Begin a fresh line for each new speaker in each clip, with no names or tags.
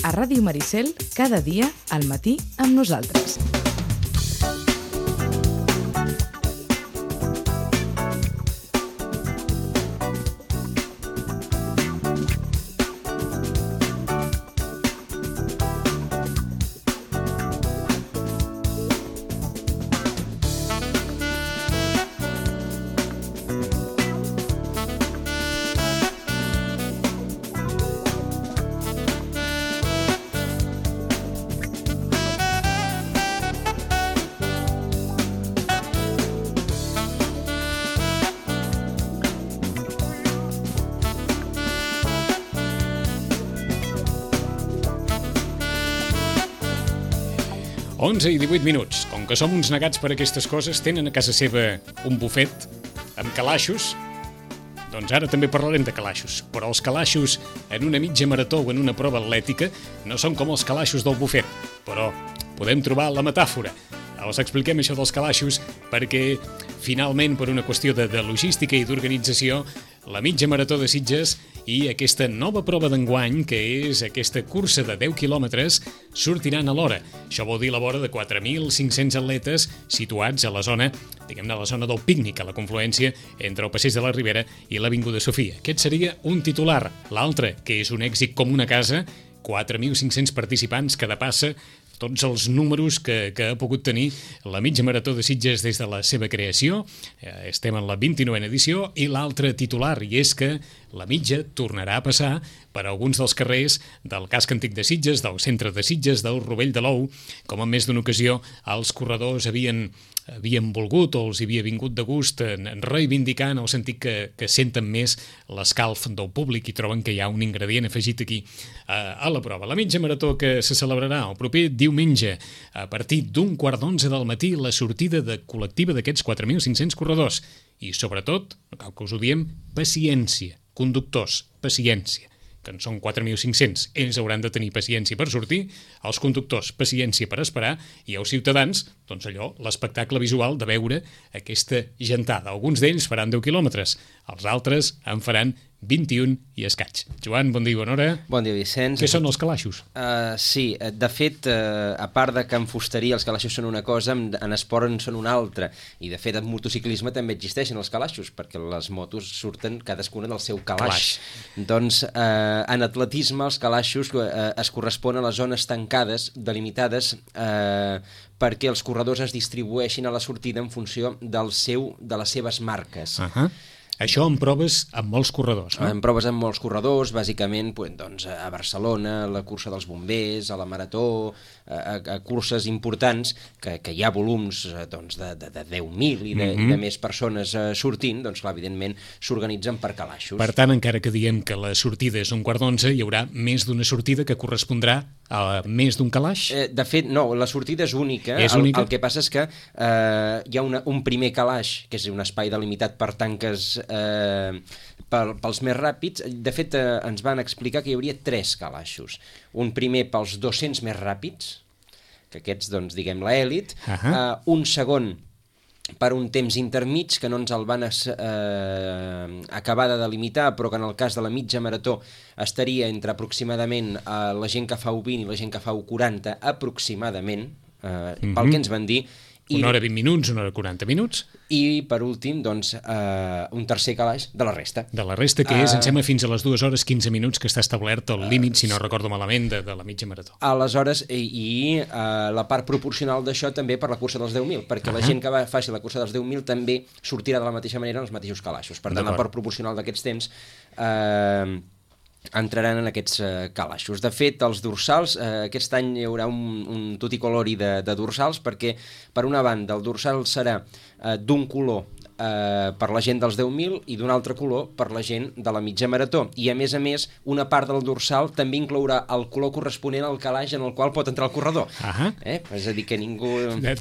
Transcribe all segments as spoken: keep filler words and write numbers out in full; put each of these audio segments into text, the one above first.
a Ràdio Maricel cada dia al matí amb nosaltres.
onze i divuit minuts. Com que som uns negats per aquestes coses, tenen a casa seva un bufet amb calaixos. Doncs ara també parlarem de calaixos. Però els calaixos en una mitja marató o en una prova atlètica no són com els calaixos del bufet. Però podem trobar la metàfora. Us expliquem això dels calaixos perquè, finalment, per una qüestió de, de logística i d'organització, la mitja marató de Sitges i aquesta nova prova d'enguany, que és aquesta cursa de deu quilòmetres, sortiran a l'hora. Això vol dir la vora de quatre mil cinc-cents atletes situats a la zona, diguem-ne, a la zona del pícnic, a la confluència entre el Passeig de la Ribera i l'Avinguda Sofia. Aquest seria un titular. L'altre, que és un èxit com una casa, quatre mil cinc-cents participants que depassa tots els números que, que ha pogut tenir la mitja marató de Sitges des de la seva creació. Eh, estem en la vint-i-novena edició i l'altre titular, i és que la mitja tornarà a passar per alguns dels carrers del casc antic de Sitges, del centre de Sitges, del Rovell de l'Ou, com en més d'una ocasió els corredors havien havien volgut o els havia vingut de gust en, en reivindicar en el sentit que, que senten més l'escalf del públic i troben que hi ha un ingredient afegit aquí a, a la prova. La mitja marató que se celebrarà el proper diumenge a partir d'un quart d'onze del matí, la sortida de col·lectiva d'aquests quatre mil cinc-cents corredors. I sobretot, no cal que us ho diem, paciència. Conductors, paciència. Que en són quatre mil cinc-cents, ells hauran de tenir paciència per sortir, els conductors paciència per esperar i els ciutadans, doncs allò, l'espectacle visual de veure aquesta gentada. Alguns d'ells faran deu quilòmetres, els altres en faran vint-i-un i escaig. Joan, bon dia, bona hora.
Bon dia, Vicenç.
Què són els calaixos?
Uh, sí, de fet, uh, a part de que en fusteria els calaixos són una cosa, en, en esport en són una altra. I de fet, en motociclisme també existeixen els calaixos, perquè les motos surten cadascuna del seu calaix. Calaix. Doncs uh, en atletisme els calaixos uh, es corresponen a les zones tancades, delimitades, uh, perquè els corredors es distribueixin a la sortida en funció del seu, de les seves marques.
Ahà. Uh-huh. Això en proves amb molts corredors, no?
En proves amb molts corredors, bàsicament doncs, a Barcelona, a la cursa dels bombers, a la marató, a, a curses importants, que, que hi ha volums doncs, de, de, de deu mil i de, mm-hmm. i de més persones uh, sortint, doncs clar, evidentment s'organitzen per calaixos.
Per tant, encara que diem que la sortida és un quart d'onze, hi haurà més d'una sortida que correspondrà a més d'un calaix?
Eh, de fet, no, la sortida és única.
És
el,
única?
el que passa és que eh, hi ha una, un primer calaix, que és un espai delimitat per tanques eh, pel, pels més ràpids. De fet, eh, ens van explicar que hi hauria tres calaixos. Un primer pels dos-cents més ràpids, que aquests, doncs, diguem, l'elit. Uh-huh. eh, un segon per un temps intermig, que no ens el van es, eh, acabar de delimitar, però que en el cas de la mitja marató estaria entre aproximadament eh, la gent que fa u vint i la gent que fa u quaranta, aproximadament, eh, mm-hmm. pel que ens van dir.
I, una hora vint minuts, una hora quaranta minuts.
I, per últim, doncs, eh, un tercer calaix de la resta.
De la resta, que és, uh, em sembla, fins a les dues hores quinze minuts que està establert el límit, uh, si no recordo malament, de, de la mitja marató.
Aleshores, i, i uh, la part proporcional d'això també per la cursa dels deu mil, perquè uh-huh. la gent que va, faci la cursa dels deu mil també sortirà de la mateixa manera en els mateixos calaixos. Per tant, la part proporcional d'aquests temps eh, entraran en aquests uh, calaixos. De fet, els dorsals, uh, aquest any hi haurà un, un tuticolori de, de dorsals, perquè, per una banda, el dorsal serà uh, d'un color eh, per la gent dels deu mil i d'un altre color per la gent de la mitja marató. I, a més a més, una part del dorsal també inclourà el color corresponent al calaix en el qual pot entrar el corredor.
Uh-huh.
Eh? És a dir, que ningú...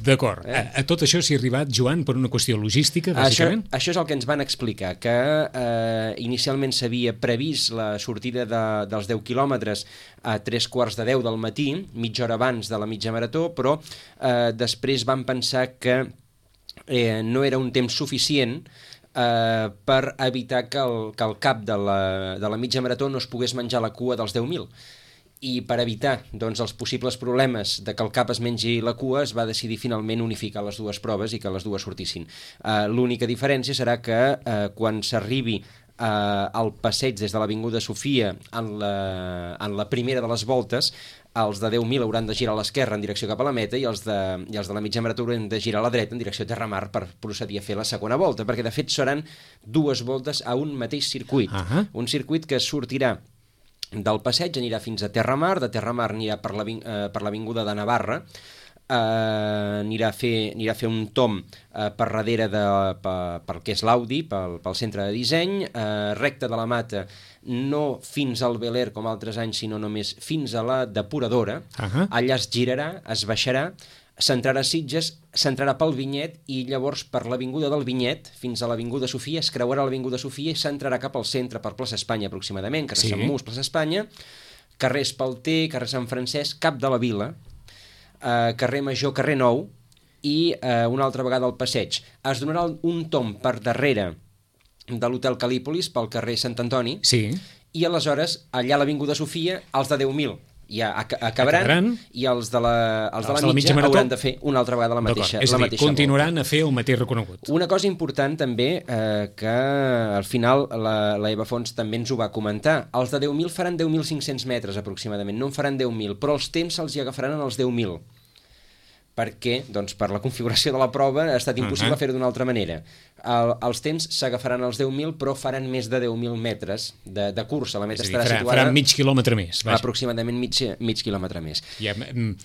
D'acord. Eh? A, a tot això s'hi ha arribat, Joan, per una qüestió logística, bàsicament?
Això, això és el que ens van explicar, que eh, inicialment s'havia previst la sortida de, dels deu quilòmetres a tres quarts de deu del matí, mitja hora abans de la mitja marató, però eh, després van pensar que eh, no era un temps suficient eh, per evitar que el, que el cap de la, de la mitja marató no es pogués menjar la cua dels deu mil. i per evitar doncs, els possibles problemes de que el cap es mengi la cua es va decidir finalment unificar les dues proves i que les dues sortissin. Uh, l'única diferència serà que uh, quan s'arribi uh, al passeig des de l'Avinguda Sofia en la, en la primera de les voltes, els de deu mil hauran de girar a l'esquerra en direcció cap a la meta i els de, i els de la mitja marató hauran de girar a la dreta en direcció a Terramar per procedir a fer la segona volta, perquè de fet seran dues voltes a un mateix circuit. Uh-huh. Un circuit que sortirà del passeig, anirà fins a Terramar, de Terramar anirà per l'Avinguda de Navarra, Uh, anirà, a fer, anirà a fer un tom uh, per darrere de, per, per què és l'Audi, pel, pel centre de disseny, uh, recte de la Mata, no fins al Bel Air com altres anys, sinó només fins a la depuradora. Uh-huh. Allà es girarà, es baixarà, s'entrarà a Sitges, s'entrarà pel Vinyet i llavors per l'Avinguda del Vinyet fins a l'Avinguda Sofia, es creuarà l'Avinguda Sofia i s'entrarà cap al centre per plaça Espanya aproximadament, carrer sí. Sant Mus, plaça Espanya, carrer Espalter, carrer Sant Francesc, cap de la Vila, Uh, carrer Major, carrer Nou i uh, una altra vegada al passeig. Es donarà un tom per darrere de l'Hotel Calípolis pel carrer Sant Antoni
sí.
i aleshores allà a l'Avinguda Sofia els de deu mil ja ac acabaran, acabaran i els de la, els els de la, de la mitja, mitja hauran de fer una altra vegada la mateixa,
és
la
a dir,
mateixa
continuaran
volta.
A fer el mateix reconegut.
Una cosa important també eh, que al final la, la Eva Fons també ens ho va comentar, els de deu mil faran deu mil cinc-cents metres aproximadament, no en faran deu mil, però els temps se'ls hi agafaran en els deu mil. Perquè, doncs, per la configuració de la prova ha estat impossible uh-huh. fer-ho d'una altra manera. El, els temps s'agafaran als deu mil, però faran més de deu mil metres de, de cursa. La meta
dir,
estarà
farà,
situada...
Faran mig quilòmetre més. Vaja.
Aproximadament mig, mig quilòmetre més.
Ja,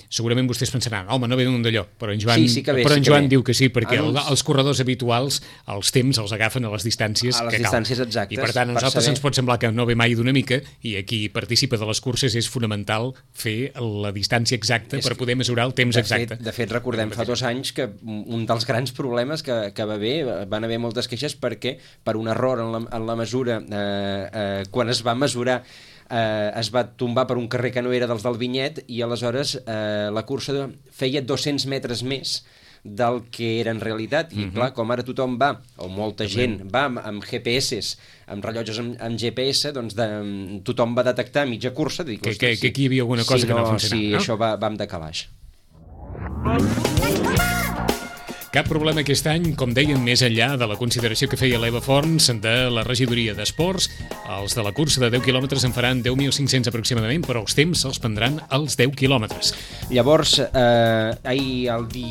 segurament vostès pensaran, home, no ve d'un d'allò, però en Joan,
sí, sí ve,
però en
sí
Joan
ve.
diu que sí, perquè
en
uns... els corredors habituals, els temps els agafen a les distàncies
a les
que
distàncies
cal.
exactes.
I per tant, a nosaltres saber... ens pot semblar que no ve mai d'una mica, i aquí participa de les curses és fonamental fer la distància exacta és per poder mesurar el temps
de
exacte.
Fet, de fet, recordem fa dos anys que un dels grans problemes que, que va haver, van haver moltes queixes perquè per un error en la, en la mesura eh, eh, quan es va mesurar eh, es va tombar per un carrer que no era dels del Vinyet i aleshores eh, la cursa feia dos-cents metres més del que era en realitat i uh-huh. clar, com ara tothom va, o molta gent va amb, amb G P S, amb rellotges amb, amb G P S, doncs de, tothom va detectar mitja cursa dic,
que, que, que aquí hi havia alguna cosa
si
que no,
no
funcionava,
si
no?
Això va, va amb decalaix.
Cap problema aquest any, com deien, més enllà de la consideració que feia l'Eva Forns de la regidoria d'Esports. Els de la cursa de deu quilòmetres en faran deu mil cinc-cents aproximadament, però els temps se'ls prendran als deu quilòmetres.
Llavors, eh, ahir, el, di...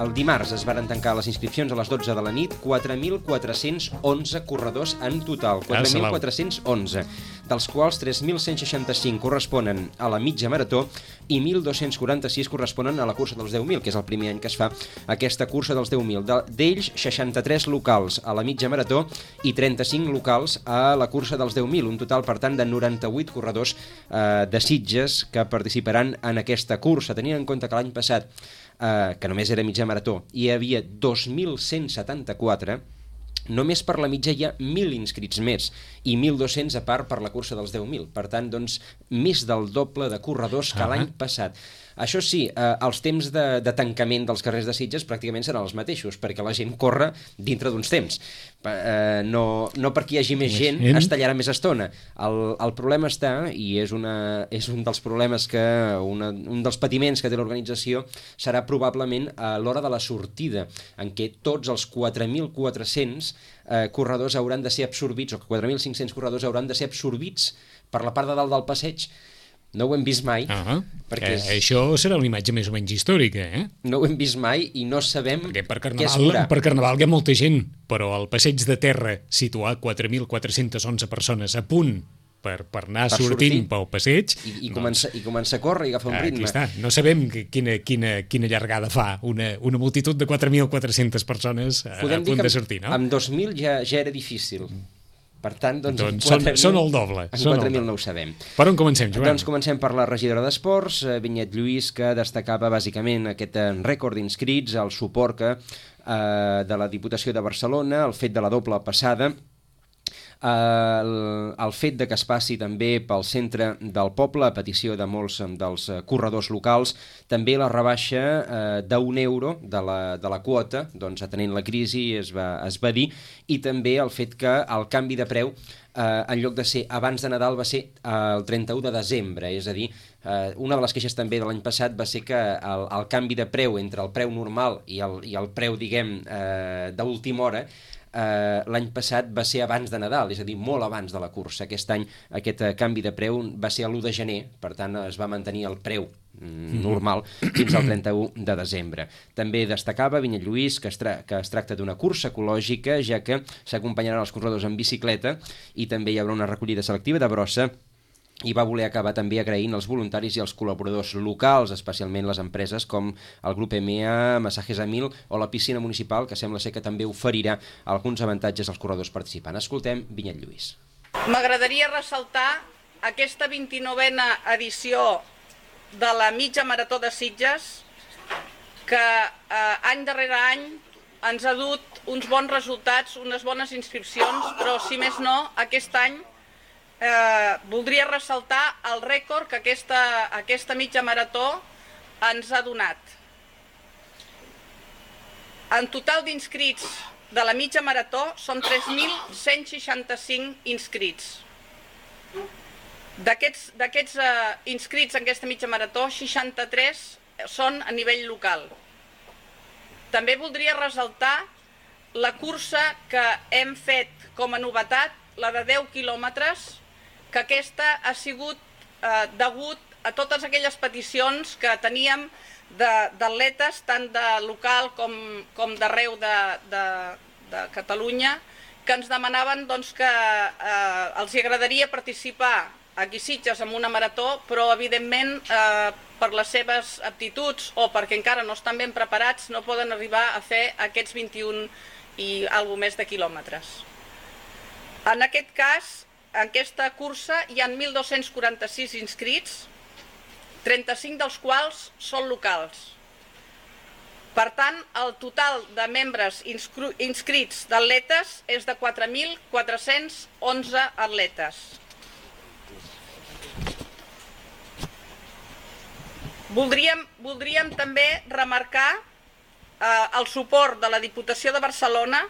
el dimarts es varen tancar les inscripcions a les dotze de la nit, quatre mil quatre-cents onze corredors en total, quatre mil quatre-cents onze, dels quals tres mil cent seixanta-cinc corresponen a la mitja marató i mil dos-cents quaranta-sis corresponen a la cursa dels deu mil, que és el primer any que es fa aquesta cursa dels deu mil. D'ells, seixanta-tres locals a la mitja marató i trenta-cinc locals a la cursa dels deu mil, un total, per tant, de noranta-vuit corredors eh, de Sitges que participaran en aquesta cursa. Tenint en compte que l'any passat, eh, que només era mitja marató, hi havia dos mil cent setanta-quatre, només per la mitja hi ha mil inscrits més i mil dos-cents a part per la cursa dels deu mil. Per tant, doncs, més del doble de corredors que uh-huh. l'any passat. Això sí, eh, els temps de, de tancament dels carrers de Sitges pràcticament seran els mateixos, perquè la gent corre dintre d'uns temps. Eh, no, no perquè hi hagi més gent es tallarà més estona. El, el problema està, i és, una, és un dels problemes que, una, un dels patiments que té l'organització, serà probablement a l'hora de la sortida, en què tots els quatre mil quatre-cents eh, corredors hauran de ser absorbits, o quatre mil cinc-cents corredors hauran de ser absorbits per la part de dalt del passeig. No ho hem vist mai.
Uh-huh. perquè és... eh, això serà una imatge més o menys històrica, eh?
No ho hem vist mai i no sabem
perquè per
què es
veurà. Per Carnaval hi ha molta gent, però al passeig de terra situar quatre mil quatre-cents onze persones a punt per, per anar per sortint sortir. Pel passeig...
I, i, doncs, comença, I comença a córrer i agafar un ritme.
Aquí està. No sabem quina, quina, quina llargada fa una, una multitud de quatre mil quatre-centes persones a, a punt de sortir, no?
Amb dos mil ja, ja era difícil. Per tant, doncs,
doncs són, són el doble.
En quatre mil no ho sabem.
Per on comencem, Joan?
Doncs comencem per la regidora d'Esports, Vinyet Lluís, que destacava bàsicament aquest rècord d'inscrits, el suport que, eh, de la Diputació de Barcelona, el fet de la doble passada, El, el fet de que es passi també pel centre del poble, a petició de molts dels corredors locals, també la rebaixa eh, d'un euro de la, de la quota, doncs atenent la crisi es va, es va dir, i també el fet que el canvi de preu eh, en lloc de ser abans de Nadal va ser eh, el trenta-u de desembre, és a dir, eh, una de les queixes també de l'any passat va ser que el, el canvi de preu entre el preu normal i el, i el preu, diguem, eh, d'última hora, Uh, l'any passat va ser abans de Nadal, és a dir, molt abans de la cursa. Aquest any aquest uh, canvi de preu va ser l'u de gener, per tant es va mantenir el preu mm, normal fins al trenta-u de desembre. També destacava Vinyet Lluís que es, tra que es tracta d'una cursa ecològica, ja que s'acompanyaran els corredors en bicicleta i també hi haurà una recollida selectiva de brossa, i va voler acabar també agraint els voluntaris i els col·laboradors locals, especialment les empreses com el grup E M E A, Masajes Amil o la piscina municipal, que sembla ser que també oferirà alguns avantatges als corredors participants. Escoltem Vinyet Lluís.
M'agradaria ressaltar aquesta vint-i-novena edició de la mitja marató de Sitges, que eh, any darrere any ens ha dut uns bons resultats, unes bones inscripcions, però si més no, aquest any Eh, voldria ressaltar el rècord que aquesta, aquesta mitja marató ens ha donat. En total d'inscrits de la mitja marató són tres mil cent seixanta-cinc inscrits. D'aquests eh, inscrits en aquesta mitja marató, seixanta-tres són a nivell local. També voldria ressaltar la cursa que hem fet com a novetat, la de deu quilòmetres, que aquesta ha sigut eh, degut a totes aquelles peticions que teníem d'atletes, tant de local com, com d'arreu de, de, de Catalunya, que ens demanaven doncs, que eh, els agradaria participar aquí a Sitges en una marató, però evidentment eh, per les seves aptituds o perquè encara no estan ben preparats no poden arribar a fer aquests vint-i-un i alguna més de quilòmetres. En aquest cas, en aquesta cursa hi ha mil dos-cents quaranta-sis inscrits, trenta-cinc dels quals són locals. Per tant, el total de membres inscrits d'atletes és de quatre mil quatre-cents onze atletes. Voldríem, voldríem també remarcar eh, el suport de la Diputació de Barcelona,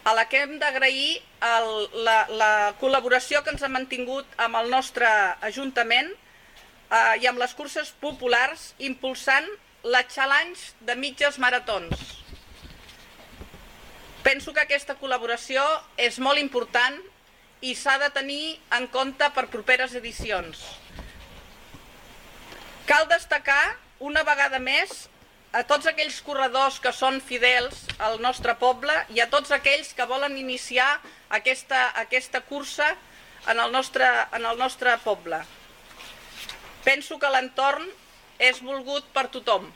a la que hem d'agrair la, la col·laboració que ens ha mantingut amb el nostre Ajuntament eh, i amb les curses populars, impulsant la Challenge de mitges maratons. Penso que aquesta col·laboració és molt important i s'ha de tenir en compte per properes edicions. Cal destacar una vegada més a tots aquells corredors que són fidels al nostre poble i a tots aquells que volen iniciar aquesta, aquesta cursa en el, nostre, en el nostre poble. Penso que l'entorn és volgut per tothom.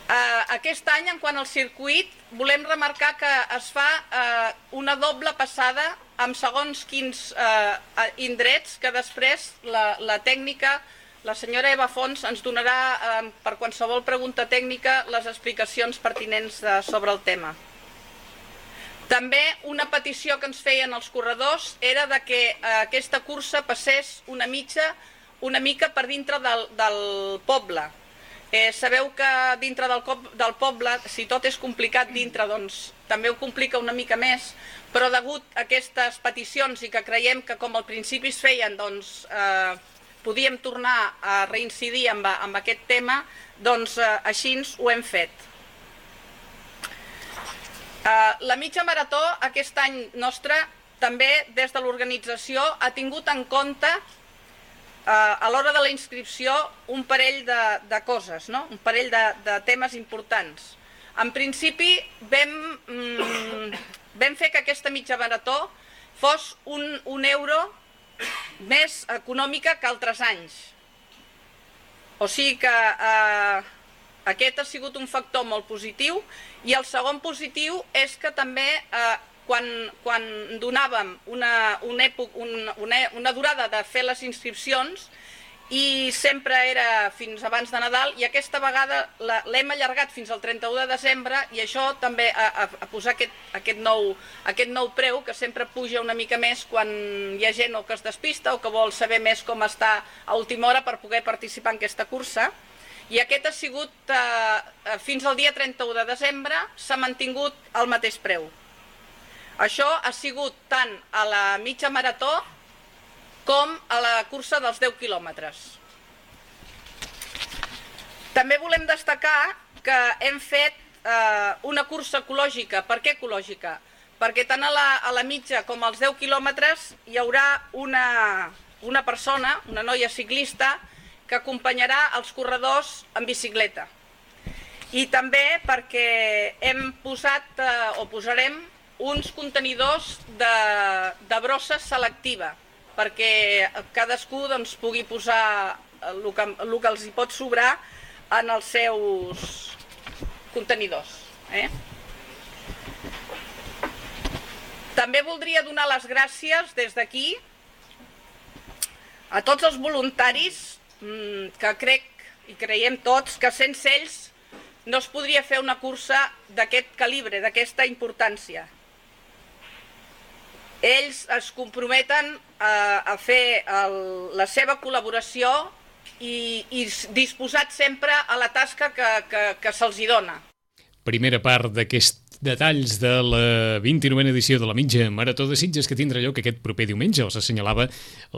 Eh, aquest any, en quant al circuit, volem remarcar que es fa eh, una doble passada amb segons quins eh, indrets que després la, la tècnica, la senyora Eva Fons, ens donarà eh, per qualsevol pregunta tècnica les explicacions pertinents de, sobre el tema. També una petició que ens feien els corredors era de que eh, aquesta cursa passés una, mitja, una mica per dintre del, del poble. Eh, sabeu que dintre del, del poble, si tot és complicat dintre, doncs també ho complica una mica més, però degut a aquestes peticions i que creiem que com al principi es feien, doncs eh, podíem tornar a reincidir amb, amb aquest tema, doncs eh, així ho hem fet. Eh, la mitja marató aquest any nostre també des de l'organització ha tingut en compte eh, a l'hora de la inscripció un parell de, de coses, no? Un parell de, de temes importants. En principi vam, mm, vam fer que aquesta mitja marató fos un, un euro més econòmica que altres anys. O sigui que eh, aquest ha sigut un factor molt positiu i el segon positiu és que també eh, quan, quan donàvem una, una, època, una, una, una durada de fer les inscripcions i sempre era fins abans de Nadal, i aquesta vegada l'hem allargat fins al trenta-u de desembre, i això també a, a, a posar aquest, aquest, nou, aquest nou preu, que sempre puja una mica més quan hi ha gent o que es despista o que vol saber més com està a última hora per poder participar en aquesta cursa. I aquest ha sigut, eh, fins al dia trenta-u de desembre, s'ha mantingut al mateix preu. Això ha sigut tant a la mitja marató com a la cursa dels deu quilòmetres. També volem destacar que hem fet eh, una cursa ecològica. Per què ecològica? Perquè tant a la, a la mitja com als deu quilòmetres hi haurà una, una persona, una noia ciclista, que acompanyarà els corredors en bicicleta. I també perquè hem posat eh, o posarem uns contenidors de, de brossa selectiva, perquè cadascú doncs, pugui posar el que, el que els hi pot sobrar en els seus contenidors. Eh? També voldria donar les gràcies des d'aquí a tots els voluntaris mmm, que crec i creiem tots que sense ells no es podria fer una cursa d'aquest calibre, d'aquesta importància. Ells es comprometen a, a fer el, la seva col·laboració i, i disposats sempre a la tasca que, que, que se'ls hi dona.
Primera part d'aquest detalls de la vint-i-novena edició de la mitja marató de Sitges, que tindrà lloc aquest proper diumenge, els assenyalava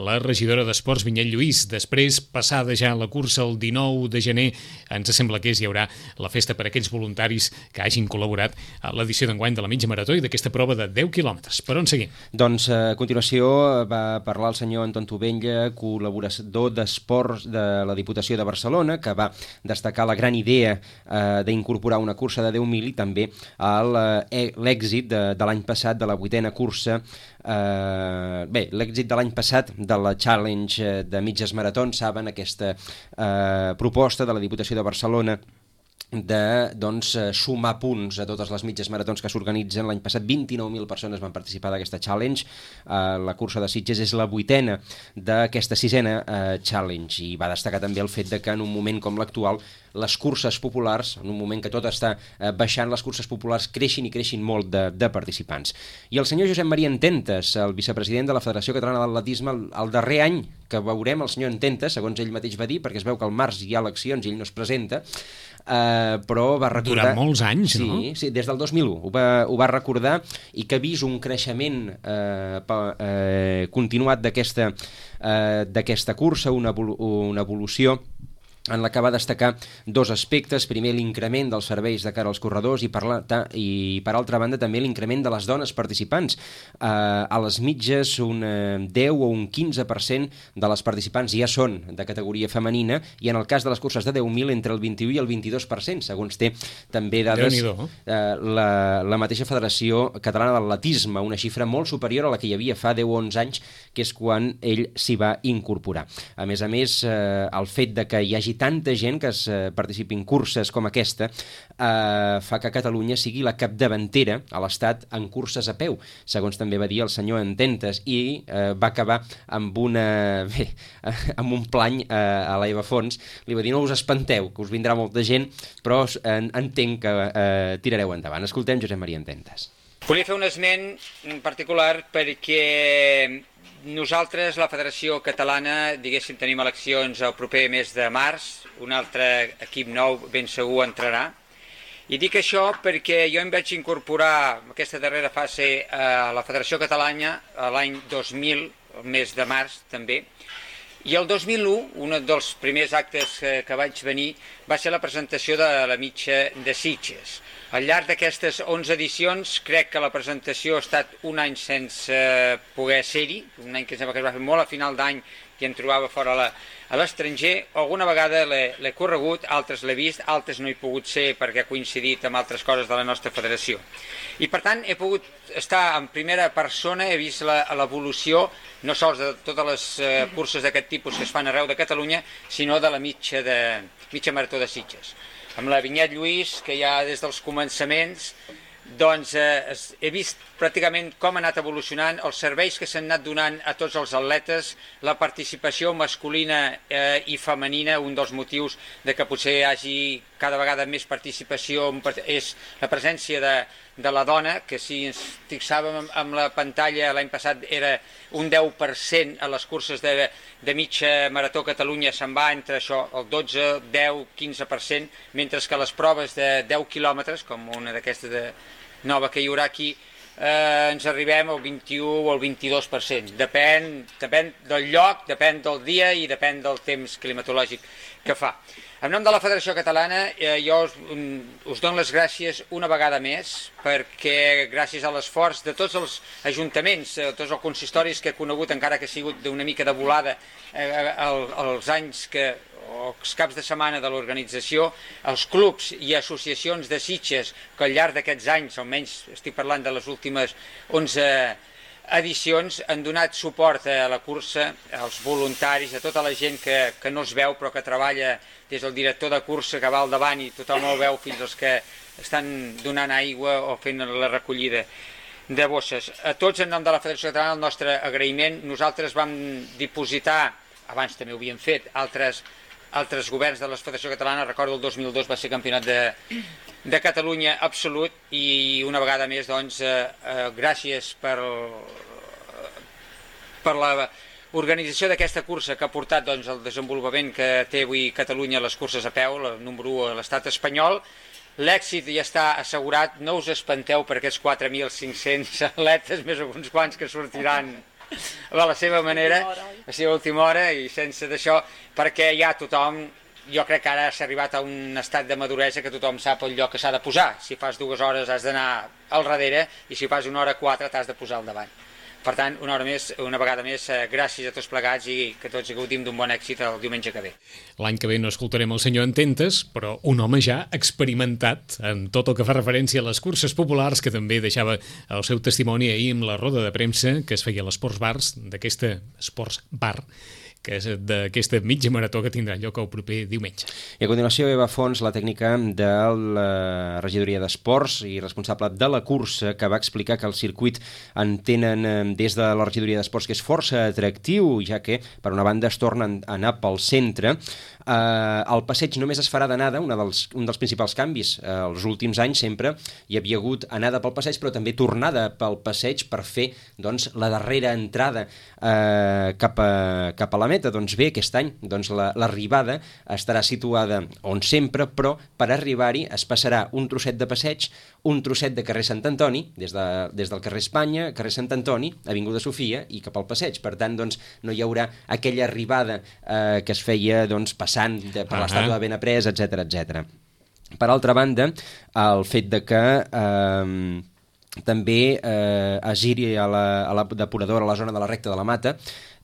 la regidora d'Esports Vinyet Lluís. Després, passada ja la cursa el dinou de gener, ens sembla que és, hi haurà la festa per a aquells voluntaris que hagin col·laborat a l'edició d'enguany de la mitja marató i d'aquesta prova de deu quilòmetres. Per on seguim?
Doncs a continuació va parlar el senyor Anton Tovella, col·laborador d'esports de la Diputació de Barcelona, que va destacar la gran idea eh, d'incorporar una cursa de deu mil i també el l'èxit de, de l'any passat de la vuitena cursa, eh, bé, l'èxit de l'any passat de la Challenge de mitges maratons, saben, aquesta eh, proposta de la Diputació de Barcelona de doncs, sumar punts a totes les mitges maratons que s'organitzen. L'any passat vint-i-nou mil persones van participar d'aquesta challenge. Uh, la cursa de Sitges és la vuitena d'aquesta sisena uh, challenge, i va destacar també el fet de que en un moment com l'actual les curses populars, en un moment que tot està uh, baixant, les curses populars creixin i creixin molt de, de participants. I el senyor Josep Maria Ententes, el vicepresident de la Federació Catalana d'Atletisme, el, el darrer any que veurem el senyor Ententes, segons ell mateix va dir, perquè es veu que al març hi ha eleccions i ell no es presenta, Uh, però va recordar...
Durant molts anys,
sí,
no?
Sí, des del dos mil u ho va, ho va recordar, i que ha vist un creixement uh, pa, uh, continuat d'aquesta uh, d'aquesta cursa, una, una evolució en la que va destacar dos aspectes. Primer, l'increment dels serveis de cara als corredors, i per, la, ta, i per altra banda també l'increment de les dones participants. Eh, a les mitges un deu o un quinze per cent de les participants ja són de categoria femenina, i en el cas de les curses de deu mil entre el vint-i-u i el vint-i-dos per cent, segons té també dades eh, la, la mateixa Federació Catalana d'Atletisme, una xifra molt superior a la que hi havia fa deu o onze anys, que és quan ell s'hi va incorporar. A més a més, eh, el fet de que hi hagi tanta gent que es eh, participi en curses com aquesta eh, fa que Catalunya sigui la capdavantera a l'Estat en curses a peu, segons també va dir el senyor Ententes, i eh, va acabar amb una bé, amb un plany eh, a l'Eva Fons. Li va dir: no us espanteu, que us vindrà molta gent, però eh, entenc que eh, tirareu endavant. Escoltem Josep Maria Ententes.
Volia fer un esment en particular perquè nosaltres, la Federació Catalana, diguéssim, tenim eleccions el proper mes de març, un altre equip nou ben segur entrarà. I dic això perquè jo em vaig incorporar en aquesta darrera fase a la Federació Catalana l'any dos mil, el mes de març també, i el dos mil u, un dels primers actes que vaig venir va ser la presentació de la mitja de Sitges. Al llarg d'aquestes onze edicions crec que la presentació ha estat un any sense poder ser-hi, un any que sembla que es va fer molt a final d'any i em trobava fora la, a l'estranger. Alguna vegada l'he corregut, altres l'he vist, altres no he pogut ser perquè ha coincidit amb altres coses de la nostra federació. I per tant he pogut estar en primera persona, he vist l'evolució no sols de totes les eh, curses d'aquest tipus que es fan arreu de Catalunya, sinó de la mitja, de, mitja marató de Sitges. Amb la Vinyet Lluís, que ja des dels començaments doncs eh, he vist pràcticament com ha anat evolucionant, els serveis que s'han anat donant a tots els atletes, la participació masculina eh, i femenina, un dels motius de que potser hi hagi cada vegada més participació és la presència de, de la dona, que si ens fixàvem amb la pantalla l'any passat era un deu per cent a les curses de, de mitja marató a Catalunya, se'n va entre això, el dotze, deu, quinze per cent, mentre que les proves de deu quilòmetres, com una d'aquestes de nova que hi haurà aquí, eh, ens arribem al vint-i-u o al vint-i-dos per cent. Depèn, depèn del lloc, depèn del dia i depèn del temps climatològic que fa. En nom de la Federació Catalana, eh, jo us, us dono les gràcies una vegada més, perquè gràcies a l'esforç de tots els ajuntaments, eh, tots els consistoris que he conegut, encara que ha sigut d'una mica de volada eh, els anys que o els caps de setmana de l'organització, els clubs i associacions de Sitges que al llarg d'aquests anys, almenys estic parlant de les últimes onze edicions, han donat suport a la cursa, als voluntaris, a tota la gent que, que no es veu però que treballa, des del director de cursa que va al davant i tothom el veu fins als que estan donant aigua o fent la recollida de bosses. A tots, en nom de la Federació Catalana, el nostre agraïment. Nosaltres vam dipositar, abans també ho havíem fet, altres altres governs de la Federació Catalana, recordo el dos mil dos va ser campionat de, de Catalunya absolut i una vegada més doncs eh, eh, gràcies per, per la organització d'aquesta cursa que ha portat doncs, el desenvolupament que té avui Catalunya a les curses a peu, el número u a l'estat espanyol. L'èxit ja està assegurat, no us espanteu per aquests quatre mil cinc-cents atletes, més alguns quants que sortiran a la seva manera, a la seva última hora i sense d'això, perquè ja tothom, jo crec que ara s'ha arribat a un estat de maduresa que tothom sap el lloc que s'ha de posar. Si fas dues hores has d'anar al darrere i si fas una hora quatre t'has de posar al davant. Per tant, una hora més, una vegada més, gràcies a tots plegats i que tots gaudim d'un bon èxit el diumenge que ve.
L'any que ve no escoltarem el senyor Ententes, però un home ja experimentat en tot el que fa referència a les curses populars, que també deixava el seu testimoni ahir amb la roda de premsa que es feia a l'Esports Bars, d'aquesta Esports Bar, que és d'aquesta mitja marató que tindrà lloc el proper diumenge.
I a continuació, Eva Fons, la tècnica de la regidoria d'Esports i responsable de la cursa, que va explicar que el circuit en tenen des de la regidoria d'Esports que és força atractiu, ja que, per una banda, es tornen a anar pel centre. Uh, el passeig només es farà d'anada, dels, un dels principals canvis. Uh, els últims anys sempre hi havia hagut anada pel passeig, però també tornada pel passeig per fer doncs, la darrera entrada uh, cap, a, cap a la meta. Doncs bé, aquest any doncs, l'arribada la, estarà situada on sempre, però per arribar-hi es passarà un trosset de passeig, un trosset de carrer Sant Antoni, des, de, des del carrer Espanya, carrer Sant Antoni, Avinguda Sofia i cap al passeig. Per tant, doncs, no hi haurà aquella arribada eh, que es feia doncs, passant de, per uh -huh. l'estàtua de Benaprés, etcètera, etcètera. Per altra banda, el fet de que eh, també eh, es giri a la, a la depuradora, a la zona de la recta de la Mata,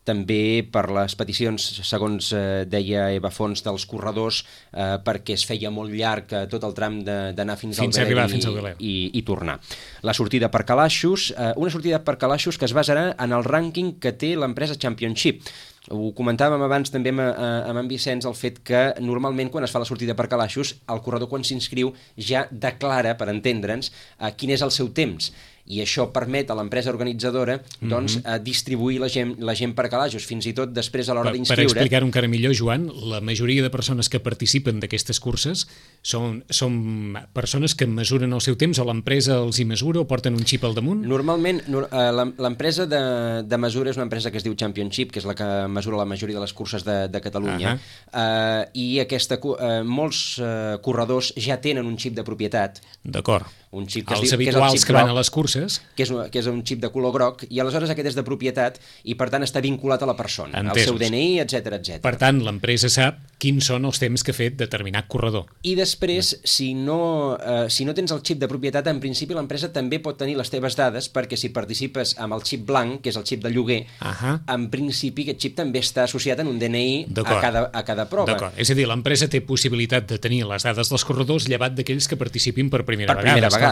també per les peticions, segons eh, deia Eva Fons, dels corredors, eh, perquè es feia molt llarg eh, tot el tram d'anar fins, fins al Belém i, i, i tornar. La sortida per calaixos, eh, una sortida per calaixos que es basarà en el rànquing que té l'empresa Championship. Ho comentàvem abans també amb, amb en Vicenç, el fet que normalment quan es fa la sortida per calaixos, el corredor quan s'inscriu ja declara, per entendre'ns, eh, quin és el seu temps. I això permet a l'empresa organitzadora doncs, mm-hmm. distribuir la gent, la gent per calaixos, fins i tot després a l'hora d'inscriure.
Per explicar-ho encara millor, Joan, la majoria de persones que participen d'aquestes curses són, són persones que mesuren el seu temps, o l'empresa els hi mesura o porten un xip al damunt?
Normalment, l'empresa de, de mesura és una empresa que es diu Championship, que és la que mesura la majoria de les curses de, de Catalunya, uh-huh. uh, i aquesta, uh, molts uh, corredors ja tenen un xip de propietat.
D'acord.
Un xip que
els
es diu,
habituals
que, és
que van a les curses,
que és, un, que és un xip de color groc, i aleshores aquest és de propietat i per tant està vinculat a la persona, al seu D N I, etcètera, etcètera.
Per tant, l'empresa sap quins són els temps que ha fet determinat corredor.
I després, si no, eh, si no tens el xip de propietat, en principi l'empresa també pot tenir les teves dades, perquè si participes amb el xip blanc, que és el xip de lloguer, uh-huh. en principi aquest xip també està associat en un D N I a cada, a cada prova.
D'acord. És a dir, l'empresa té possibilitat de tenir les dades dels corredors llevat d'aquells que participin per primera
per
vegada.
Per primera vegada.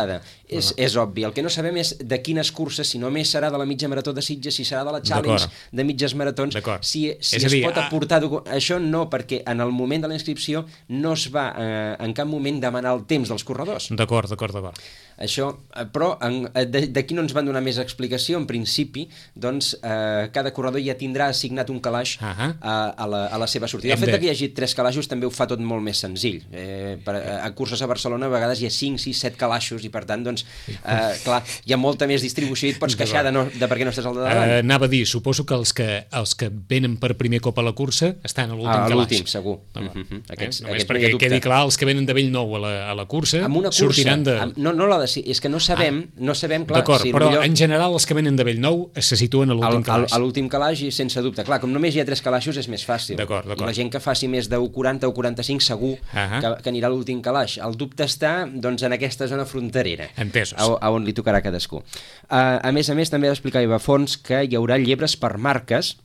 És, uh-huh. és obvi. El que no sabem és de quines curses, si només serà de la mitja marató de Sitges, si serà de la Challenge de mitges maratons, si, si es dir, pot aportar... A... Això no, perquè en el moment de la inscripció no es va eh, en cap moment demanar el temps dels corredors.
D'acord, d'acord, d'acord.
Això, però d'aquí no ens van donar més explicació. En principi, doncs, eh, cada corredor ja tindrà assignat un calaix uh -huh. a, a, la, a la seva sortida. El fet de... que hi hagi tres calaixos també ho fa tot molt més senzill. Eh, per, a curses a Barcelona a vegades hi ha cinc, sis, set calaixos i per tant, doncs, eh, clar, hi ha molta més distribució i et pots queixar de, no, de per què no estàs al de davant.
Uh, anava a dir, suposo que els, que els que venen per primer cop a la cursa estan a l'últim
ah,
calaix.
A l'últim, segur.
No, no.
Mm -hmm.
Aquests, eh? Només perquè quedi clar, els que venen de Bellnou a la, a la cursa,
amb una cursa
sortiran de...
Amb, no, no la de, és que no sabem, ah. no sabem, clar...
D'acord,
si
però
millor...
en general els que venen de Bellnou se situen a l'últim calaix.
A l'últim calaix i sense dubte. Clar, com només hi ha tres calaixos és més fàcil.
D'acord, d'acord.
I la gent que faci més de u quaranta o quaranta-cinc segur uh -huh. que, que anirà a l'últim calaix. El dubte està, doncs, en aquesta zona fronterera.
Entesos.
A, a on li tocarà a cadascú. Uh, a més a més, també va explicar Eva Fons que hi haurà llebres per marques.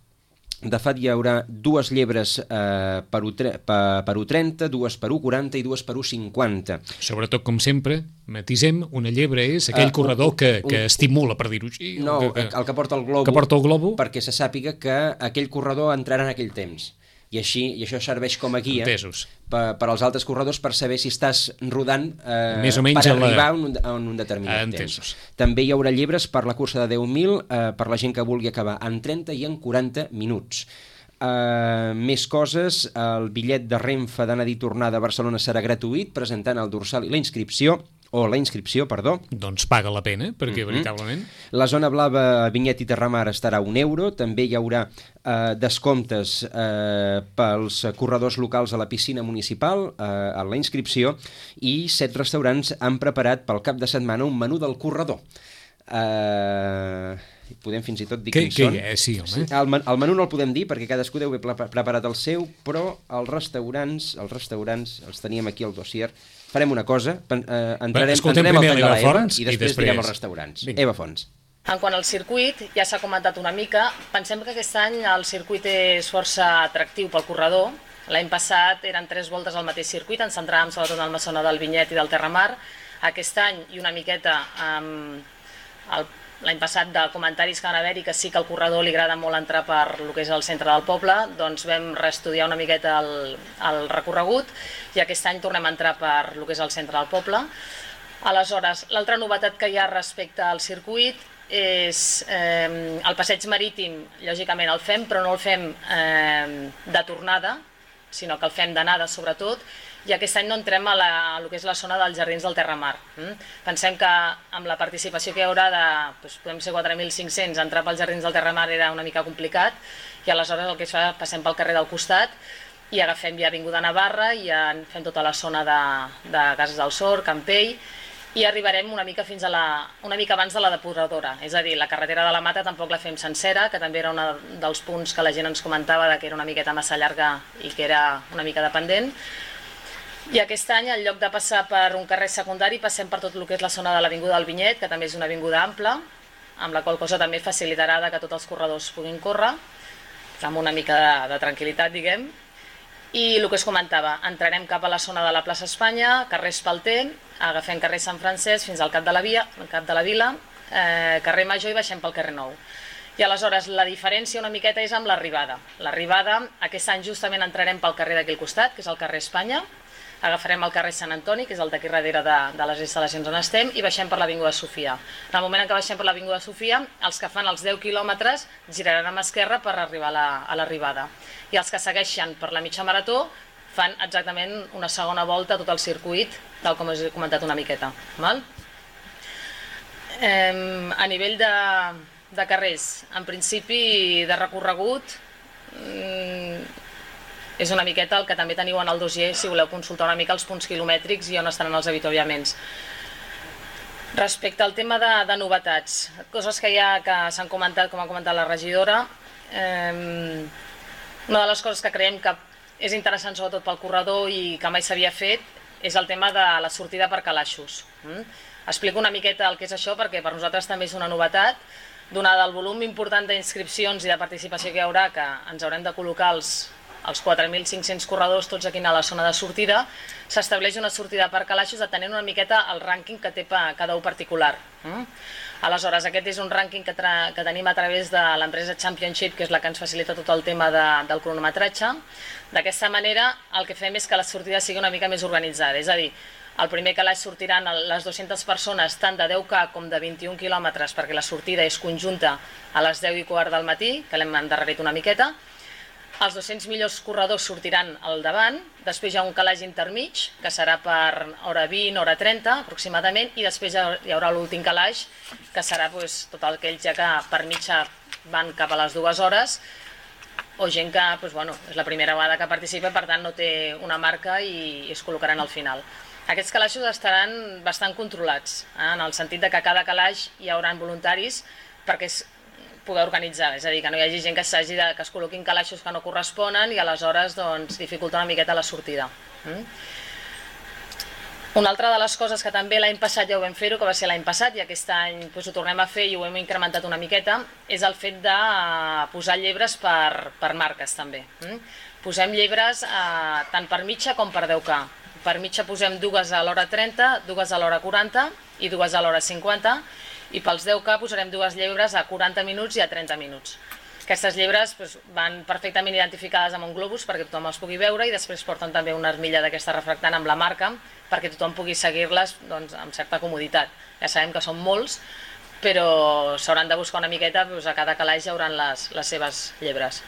De fet, hi haurà dues llebres eh, per, u per, per u trenta, dues per u quaranta i dues per u cinquanta.
Sobretot, com sempre, matisem, una llebre és aquell uh, corredor que, que un, estimula, per dir-ho així.
No,
que,
el que porta el globo,
que porta el globo,
perquè se sàpiga que aquell corredor entrarà en aquell temps. I, així, i això serveix com a guia per, per als altres corredors per saber si estàs rodant eh,
més o menys
per arribar
la...
a, un, a un determinat
Entesos.
temps. També hi haurà llibres per la cursa de deu mil eh, per la gent que vulgui acabar en trenta i en quaranta minuts. Uh, més coses, el bitllet de Renfe d'anada i tornada a Barcelona serà gratuït, presentant el dorsal i la inscripció, o la inscripció, perdó.
Doncs paga la pena, perquè, mm -hmm. veritablement...
La zona blava, Vinyet i Terramar estarà a un euro. També hi haurà eh, descomptes eh, pels corredors locals a la piscina municipal, eh, a la inscripció, i set restaurants han preparat pel cap de setmana un menú del corredor. Eh... podem fins i tot dir quins són.
Que, sí, home.
El, men el menú no el podem dir perquè cadascú deu haver preparat el seu, però els restaurants, els restaurants els teníem aquí al dossier. Farem una cosa, eh, entrarem, entrarem al tall de l'Eva i, i després direm els restaurants. Vinga. Eva Fons.
En quant al circuit, ja s'ha comentat una mica, pensem que aquest any el circuit és força atractiu pel corredor. L'any passat eren tres voltes al mateix circuit, ens centràvem sobretot en el Massona del Vinyet i del Terramar. Aquest any, i una miqueta amb el l'any passat de comentaris que van haver-hi que sí que al corredor li agrada molt entrar per el que és el centre del poble, doncs vam reestudiar una miqueta el, el recorregut i aquest any tornem a entrar per el que és el centre del poble. Aleshores, l'altra novetat que hi ha respecte al circuit és eh, el passeig marítim, lògicament el fem, però no el fem eh, de tornada, sinó que el fem d'anada sobretot, i aquest any no entrem a, la, a lo que és la zona dels Jardins del Terramar. Mm? Pensem que amb la participació que hi haurà de, doncs, podem ser quatre mil cinc-cents, entrar pels Jardins del Terramar era una mica complicat, i aleshores el que es fa, passem pel carrer del costat i agafem ja Avinguda Navarra i ja fem tota la zona de, de Cases del Sor, Campell, i arribarem una mica fins a la, una mica abans de la depuradora, és a dir, la carretera de la Mata tampoc la fem sencera, que també era un dels punts que la gent ens comentava de que era una miqueta massa llarga i que era una mica dependent. I aquest any, en lloc de passar per un carrer secundari, passem per tot el que és la zona de l'Avinguda del Vinyet, que també és una avinguda ampla, amb la qual cosa també facilitarà que tots els corredors puguin córrer, amb una mica de, de tranquil·litat, diguem. I el que es comentava, entrarem cap a la zona de la plaça Espanya, carrer Espalter, agafem carrer Sant Francesc fins al cap de la, via, cap de la vila, eh, carrer Major i baixem pel carrer Nou. I aleshores la diferència una miqueta és amb l'arribada. L'arribada, aquest any justament entrarem pel carrer d'aquí al costat, que és el carrer Espanya, agafarem el carrer Sant Antoni, que és el d'aquí darrere de, de les instal·lacions on estem, i baixem per l'Avinguda Sofia. En el moment en què baixem per l'Avinguda Sofia, els que fan els deu quilòmetres giraran a mà esquerra per arribar a l'arribada. I els que segueixen per la mitja marató fan exactament una segona volta a tot el circuit, tal com us he comentat una miqueta. Val? Eh, a nivell de, de carrers, en principi de recorregut, eh, és una miqueta el que també teniu en el dossier si voleu consultar una mica els punts quilomètrics i on estaran els avituallaments. Respecte al tema de, de novetats, coses que ja que s'han comentat, com ha comentat la regidora, eh, una de les coses que creiem que és interessant sobretot pel corredor i que mai s'havia fet és el tema de la sortida per calaixos. Mm? Explico una miqueta el que és això perquè per nosaltres també és una novetat, donada el volum important d'inscripcions i de participació que hi haurà, que ens haurem de col·locar els els quatre mil cinc-cents corredors tots aquí a la zona de sortida, s'estableix una sortida per calaixos atenent una miqueta el rànquing que té cada un particular. Mm? Aleshores, aquest és un rànquing que, que tenim a través de l'empresa Championship, que és la que ens facilita tot el tema de, del cronometratge. D'aquesta manera, el que fem és que la sortida sigui una mica més organitzada, és a dir, El primer calaix sortiran les dues-centes persones tant de deu K com de vint-i-un quilòmetres, perquè la sortida és conjunta a les deu i quart del matí, que l'hem endarrerit una miqueta. Els dos-cents millors corredors sortiran al davant, després hi ha un calaix intermig, que serà per hora vint, hora trenta aproximadament, i després hi haurà l'últim calaix, que serà doncs, tot aquells ja que per mitja van cap a les dues hores, o gent que doncs, bueno, és la primera vegada que participa, per tant no té una marca i es col·locaran al final. Aquests calaixos estaran bastant controlats, eh, en el sentit de que a cada calaix hi haurà voluntaris perquè es poder organitzar, és a dir, que no hi hagi gent que s'hagi de que es col·loquin calaixos que no corresponen i aleshores doncs, dificulta una miqueta la sortida. Mm? Una altra de les coses que també l'any passat ja ho vam fer-ho, que va ser l'any passat i aquest any doncs, ho tornem a fer i ho hem incrementat una miqueta, és el fet de posar llebres per, per marques també. Mm? Posem llebres eh, tant per mitja com per deu K. Per mitja posem dues a l'hora trenta, dues a l'hora quaranta i dues a l'hora cinquanta, i pels deu K posarem dues llebres a quaranta minuts i a trenta minuts. Aquestes llebres doncs, van perfectament identificades amb un globus perquè tothom els pugui veure i després porten també una armilla d'aquesta refractant amb la marca perquè tothom pugui seguir-les doncs, amb certa comoditat. Ja sabem que són molts, però s'hauran de buscar una miqueta, doncs, a cada calaix hi haurà les, les seves llebres.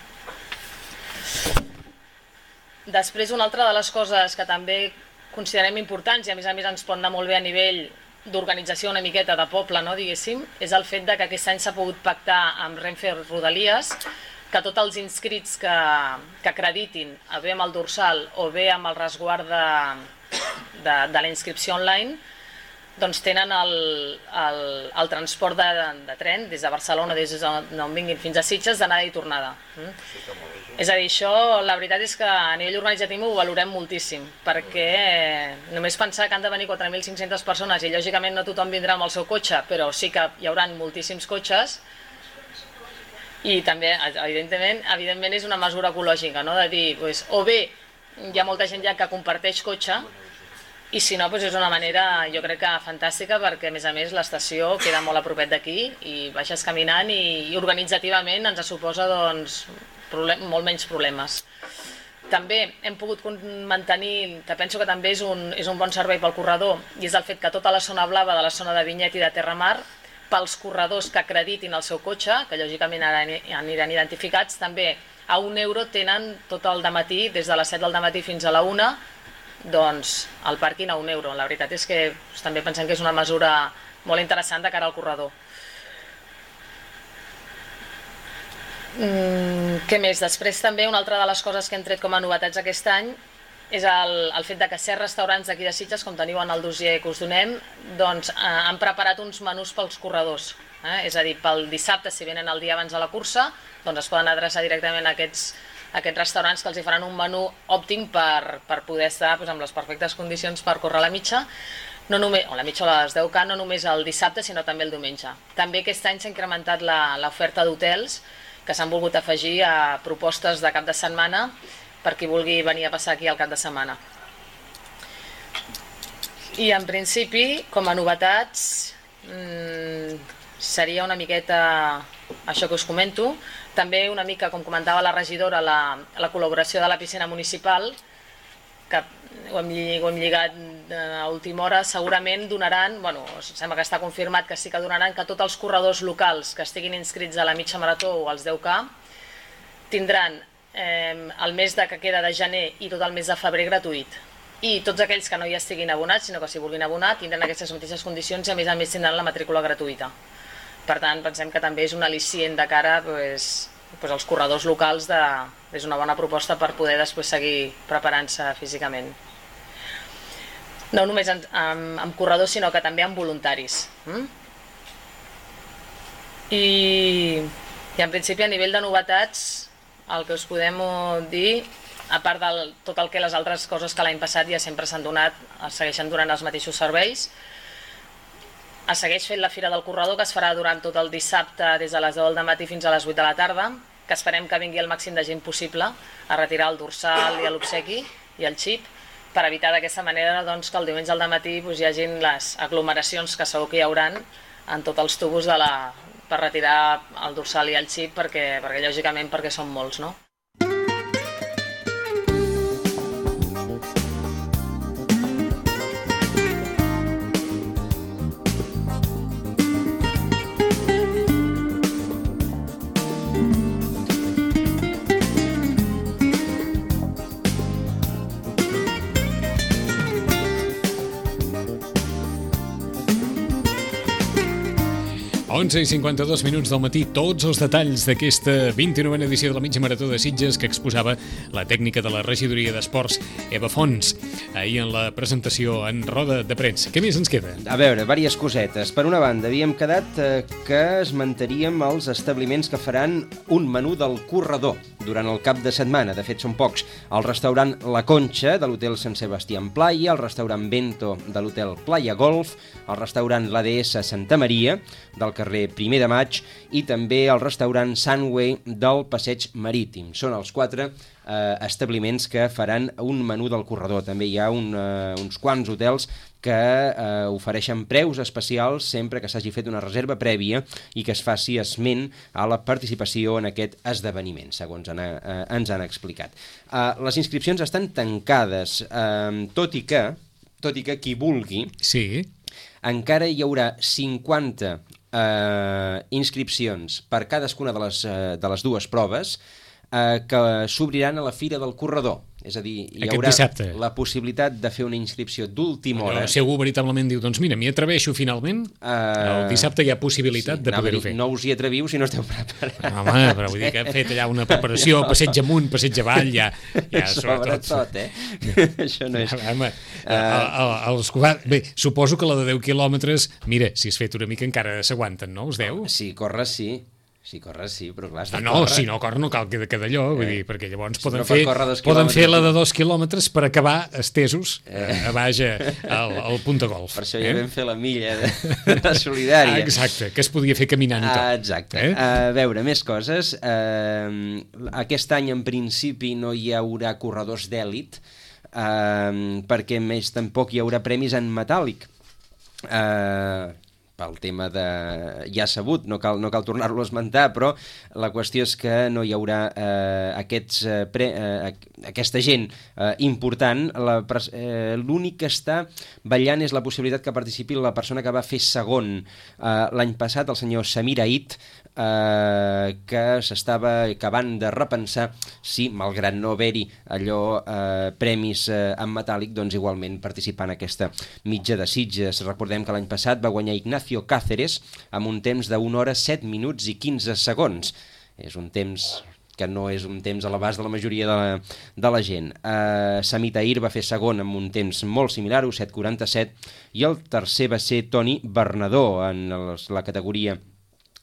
Després, una altra de les coses que també considerem importants i a més a més ens pot anar molt bé a nivell d'organització una miqueta de poble, no, diguéssim, és el fet que aquest any s'ha pogut pactar amb Renfe Rodalies que tots els inscrits que, que acreditin bé amb el dorsal o bé amb el resguard de, de, de la inscripció online doncs tenen el, el, el transport de, de tren des de Barcelona, des d'on vinguin fins a Sitges, d'anada i tornada. Mm? És a dir, això la veritat és que a nivell organitzatiu ho valorem moltíssim, perquè només pensar que han de venir quatre mil cinc-centes persones i lògicament no tothom vindrà amb el seu cotxe, però sí que hi haurà moltíssims cotxes i també, evidentment, evidentment és una mesura ecològica, no? De dir, doncs, o bé hi ha molta gent ja que comparteix cotxe, i si no, doncs és una manera, jo crec que fantàstica, perquè a més a més l'estació queda molt a propet d'aquí i baixes caminant i, i organitzativament ens suposa doncs, problem, molt menys problemes. També hem pogut mantenir, que penso que també és un, és un bon servei pel corredor, i és el fet que tota la zona blava de la zona de Vinyet i de Terramar, pels corredors que acreditin el seu cotxe, que lògicament aniran identificats, també a un euro tenen tot el dematí, des de les set del dematí fins a la una, doncs el pàrquing a un euro. La veritat és que també pensem que és una mesura molt interessant de cara al corredor. Mm, què més? Després també una altra de les coses que hem tret com a novetats aquest any és el, el fet de que certs restaurants d'aquí de Sitges, com teniu en el dossier que us donem, doncs, eh, han preparat uns menús pels corredors. Eh? És a dir, pel dissabte, si venen el dia abans de la cursa, doncs es poden adreçar directament a aquests aquests restaurants que els hi faran un menú òptim per, per poder estar doncs, amb les perfectes condicions per córrer la mitja, no només, o la mitja o les deu K, no només el dissabte sinó també el diumenge. També aquest any s'ha incrementat l'oferta d'hotels que s'han volgut afegir a propostes de cap de setmana per qui vulgui venir a passar aquí al cap de setmana. I en principi, com a novetats, mmm, seria una miqueta això que us comento. També una mica, com comentava la regidora, la, la col·laboració de la piscina municipal, que ho hem, ho hem lligat a última hora, segurament donaran, bueno, sembla que està confirmat que sí que donaran que tots els corredors locals que estiguin inscrits a la mitja marató o als deu K tindran eh, el mes de que queda de gener i tot el mes de febrer gratuït. I tots aquells que no hi estiguin abonats, sinó que s'hi vulguin abonar, tindran aquestes mateixes condicions i a més a més tindran la matrícula gratuïta. Per tant, pensem que també és un al·licient de cara pues, pues als corredors locals, de, és una bona proposta per poder després seguir preparant-se físicament. No només amb, amb, amb corredors, sinó que també amb voluntaris. Mm? I, I en principi a nivell de novetats, el que us podem dir, a part de tot el que les altres coses que l'any passat ja sempre s'han donat, es segueixen donant els mateixos serveis, es segueix fent la Fira del Corredor, que es farà durant tot el dissabte des de les deu del matí fins a les vuit de la tarda, que esperem que vingui el màxim de gent possible a retirar el dorsal i l'obsequi i el xip, per evitar d'aquesta manera doncs, que el diumenge al matí doncs, hi hagin les aglomeracions que segur que hi hauran en tots els tubos de la, per retirar el dorsal i el xip, perquè, perquè lògicament perquè són molts, no?
onze i cinquanta-dos minuts del matí, tots els detalls d'aquesta vint-i-novena edició de la mitja marató de Sitges que exposava la tècnica de la regidoria d'esports Eva Fons ahir en la presentació en roda de premsa. Què més ens queda?
A veure, diverses cosetes. Per una banda, havíem quedat eh, que esmentaríem els establiments que faran un menú del corredor durant el cap de setmana. De fet, són pocs. El restaurant La Conxa, de l'hotel Sant Sebastià en Playa, el restaurant Bento, de l'hotel Playa Golf, el restaurant l'A D S Santa Maria, del carrer Primer de Maig, i també el restaurant Sunway del Passeig Marítim. Són els quatre eh, establiments que faran un menú del corredor. També hi ha un, eh, uns quants hotels que eh, ofereixen preus especials sempre que s'hagi fet una reserva prèvia i que es faci esment a la participació en aquest esdeveniment, segons en, eh, ens han explicat. Eh, les inscripcions estan tancades, eh, tot i que, tot i que qui vulgui,
sí,
encara hi haurà cinquanta eh, inscripcions per cadascuna de les, eh, de les dues proves eh, que s'obriran a la Fira del Corredor. És a dir, hi
Aquest
haurà
dissabte.
la possibilitat de fer una inscripció d'última hora.
Si algú veritablement diu, doncs mira, m'hi atreveixo finalment, uh, el dissabte hi ha possibilitat sí, de poder-ho fer.
No us hi atreviu si no esteu preparats.
Home, però vull dir que hem fet allà una preparació, passeig amunt, passeig avall, ja, ja
sobretot. tot, eh? Això no és...
Home, uh, el, els, bé, suposo que la de deu quilòmetres, mira, si has fet una mica encara s'aguanten, no, els deu?
Sí, corre sí. Sí, corre sí, però clar...
No, no, córrer. si no corre no cal que de d'allò, vull dir, perquè llavors
si
poden,
no
fer, poden fer la de dos quilòmetres per acabar estesos eh. a baix al, al punt de golf.
Per això ja eh? vam fer la milla de, de solidària.
Ah, exacte, que es podia fer caminant i tot.
Ah, exacte. Eh? A veure, més coses. Uh, aquest any, en principi, no hi haurà corredors d'èlit, uh, perquè més tampoc hi haurà premis en metàl·lic. Uh, pel tema de... ja sabut, no cal, no cal tornar-lo a esmentar, però la qüestió és que no hi haurà eh, aquests, eh, pre, eh, aquesta gent eh, important. La, eh, l'únic que està ballant és la possibilitat que participi la persona que va fer segon eh, l'any passat, el senyor Samir Ait, eh, que s'estava acabant de repensar si, malgrat no haver-hi allò eh, premis eh, en metàl·lic, doncs igualment participar en aquesta mitja de Sitges. Recordem que l'any passat va guanyar Ignacio Cáceres amb un temps d'una hora, set minuts i quinze segons. És un temps que no és un temps a l'abast de la majoria de la, de la gent. Uh, Samit Ahir va fer segon amb un temps molt similar, set quaranta-set, i el tercer va ser Toni Bernadó. En els, la categoria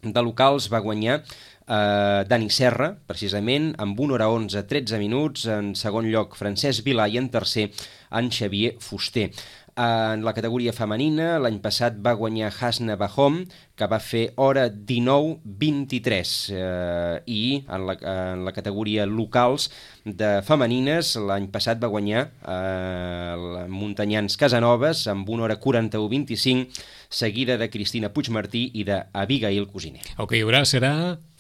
de locals va guanyar uh, Dani Serra, precisament, amb una hora onze, tretze minuts. En segon lloc, Francesc Vilà, i en tercer, en Xavier Fuster. En la categoria femenina, l'any passat va guanyar Hasna Bahom, que va fer hora dinou vint-i-tres, eh, i en la, en la categoria locals de femenines, l'any passat va guanyar eh, Muntanyans Casanovas amb una hora quaranta-u vint-i-cinc, seguida de Cristina Puigmartí i d'Abigail Cosiner.
El que hi haurà serà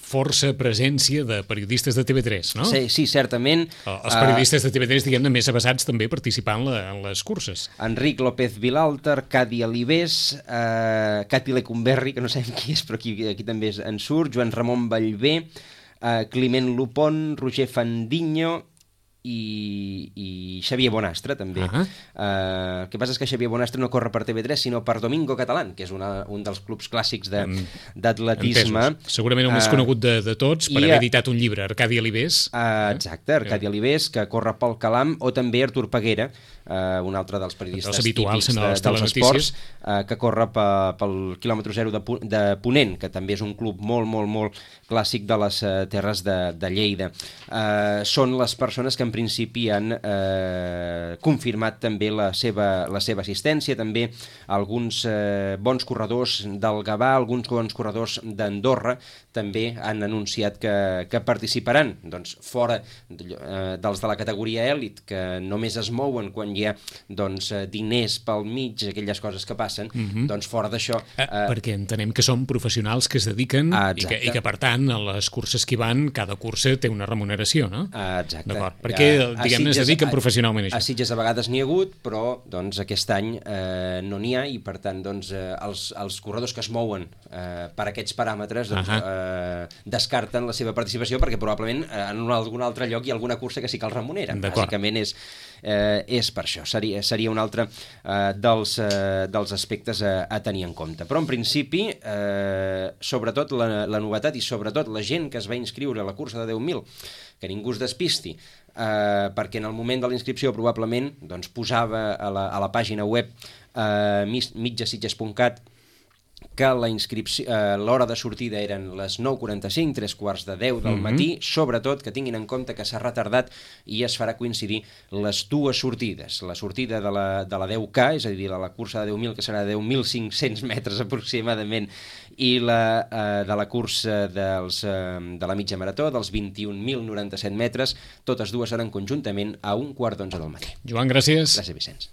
força presència de periodistes de T V tres, no?
Sí, sí, certament.
Els periodistes de T V tres, diguem-ne, més avasats també participant en, la, en les curses.
Enric López Vilalter, Cadi Alibés, eh, Cati Lecumberri, que no sabem qui és, però aquí, aquí també en surt, Joan Ramon Vallvé, eh, Climent Lupon, Roger Fandinho i, i Xavier Bonastre també. Uh-huh. uh, el que passa és que Xavier Bonastre no corre per T V tres sinó per Domingo Catalán, que és una, un dels clubs clàssics de, d'atletisme.
Segurament el més uh, conegut de, de tots per haver a, editat un llibre, Arcadi Alibés.
Uh, exacte, Arcadi Alibés, que corre pel Calam, o també Artur Peguera, uh, un altre dels periodistes típics de, dels esports, uh, que corre pe, pel quilòmetre zero de, de Ponent, que també és un club molt, molt, molt clàssic de les uh, terres de, de Lleida. Uh, són les persones que en principi han eh, confirmat també la seva, la seva assistència, també alguns eh, bons corredors del Gavà, alguns bons corredors d'Andorra també han anunciat que, que participaran. Doncs fora eh, dels de la categoria èlit, que només es mouen quan hi ha doncs, diners pel mig, aquelles coses que passen, mm-hmm. doncs fora d'això...
Eh, eh, perquè entenem que són professionals que es dediquen ah, i, que, i que per tant a les curses que hi van, cada cursa té una remuneració, no?
Ah, exacte.
D'acord, perquè perquè, diguem-ne, es dediquen professionalment a això.
A Sitges a vegades n'hi ha hagut, però doncs, aquest any eh, no n'hi ha i, per tant, doncs, eh, els, els corredors que es mouen eh, per aquests paràmetres doncs, uh -huh. eh, descarten la seva participació perquè probablement eh, en algun altre lloc hi ha alguna cursa que sí que els remunera. Bàsicament és, eh, és per això. Seria, seria un altre eh, dels, eh, dels aspectes a, a tenir en compte. Però, en principi, eh, sobretot la, la novetat i sobretot la gent que es va inscriure a la cursa de deu mil, que ningú es despisti, eh, perquè en el moment de la inscripció probablement doncs, posava a la, a la pàgina web eh, mitjasitges punt cat que la inscripció, eh, l'hora de sortida eren les nou quaranta-cinc, tres quarts de deu del matí, mm-hmm. sobretot que tinguin en compte que s'ha retardat i es farà coincidir les dues sortides. La sortida de la, de la deu K, és a dir, de la cursa de deu mil, que serà de deu mil cinc-cents metres aproximadament, i la eh, de la cursa dels, eh, de la mitja marató, dels vint-i-un mil noranta-set metres, totes dues seran conjuntament a un quart d'onze del matí.
Joan, gràcies.
Gràcies, Vicenç.